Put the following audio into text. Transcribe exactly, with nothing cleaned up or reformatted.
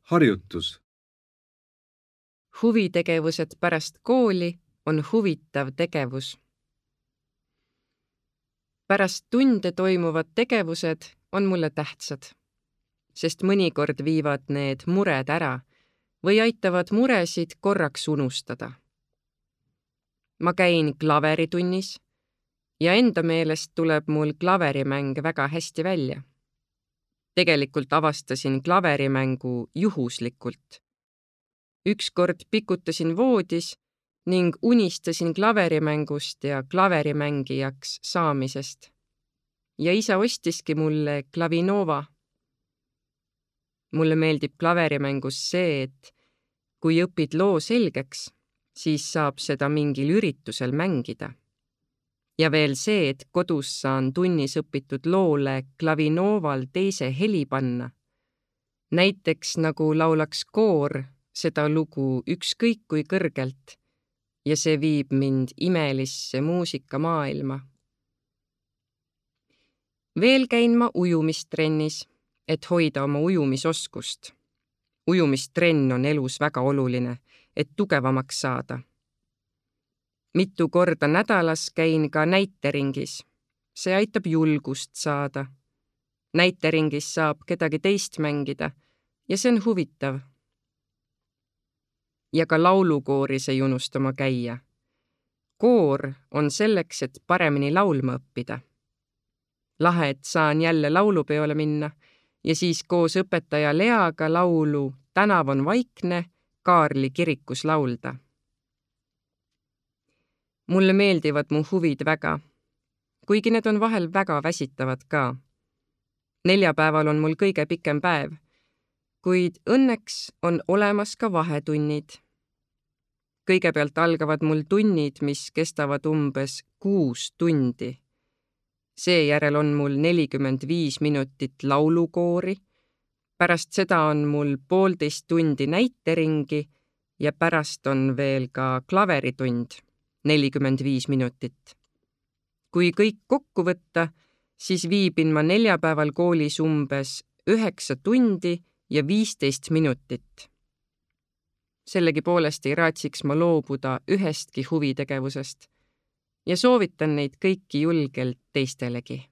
Harjutus. Huvitegevused pärast kooli on huvitav tegevus. Pärast tunde toimuvad tegevused on mulle tähtsad, sest mõnikord viivad need mured ära või aitavad muresid korraks unustada. Ma käin klaveritunnis ja enda meelest tuleb mul klaverimäng väga hästi välja. Tegelikult avastasin klaverimängu juhuslikult. Ükskord pikutasin voodis ning unistasin klaverimängust ja klaverimängijaks saamisest. Ja isa ostiski mulle Klavinova. Mulle meeldib klaverimängus see, et kui õpid loo selgeks, siis saab seda mingil üritusel mängida. Ja veel see, et kodus saan tunnis õpitud loole Klavinoval teise heli panna. Näiteks nagu laulaks koor seda lugu ükskõik kui kõrgelt ja see viib mind imelisse muusikamaailma. Veel käin ma ujumistrennis, et hoida oma ujumisoskust. Ujumistrenn on elus väga oluline, et tugevamaks saada. Mitu korda nädalas käin ka näiteringis. See aitab julgust saada. Näiteringis saab kedagi teist mängida ja see on huvitav. Ja ka laulukooris ei unustama käia. Koor on selleks, et paremini laulma õppida. Lahe, et saan jälle laulupeole minna ja siis koos õpetaja Leaga laulu Tänav on vaikne Kaarli kirikus laulda. Mulle meeldivad mu huvid väga, kuigi need on vahel väga väsitavad ka. Neljapäeval on mul kõige pikem päev, kuid õnneks on olemas ka vahetunnid. Kõigepealt algavad mul tunnid, mis kestavad umbes kuus tundi. Seejärel on mul nelikümmend viis minutit laulukoori, pärast seda on mul poolteist tundi näiteringi ja pärast on veel ka klaveritund, nelikümmend viis minutit. Kui kõik kokku võtta, siis viibin ma neljapäeval koolis umbes üheksa tundi ja viisteist minutit. Sellegi poolest ei raatsiks ma loobuda ühestki huvitegevusest ja soovitan neid kõiki julgelt teistelegi.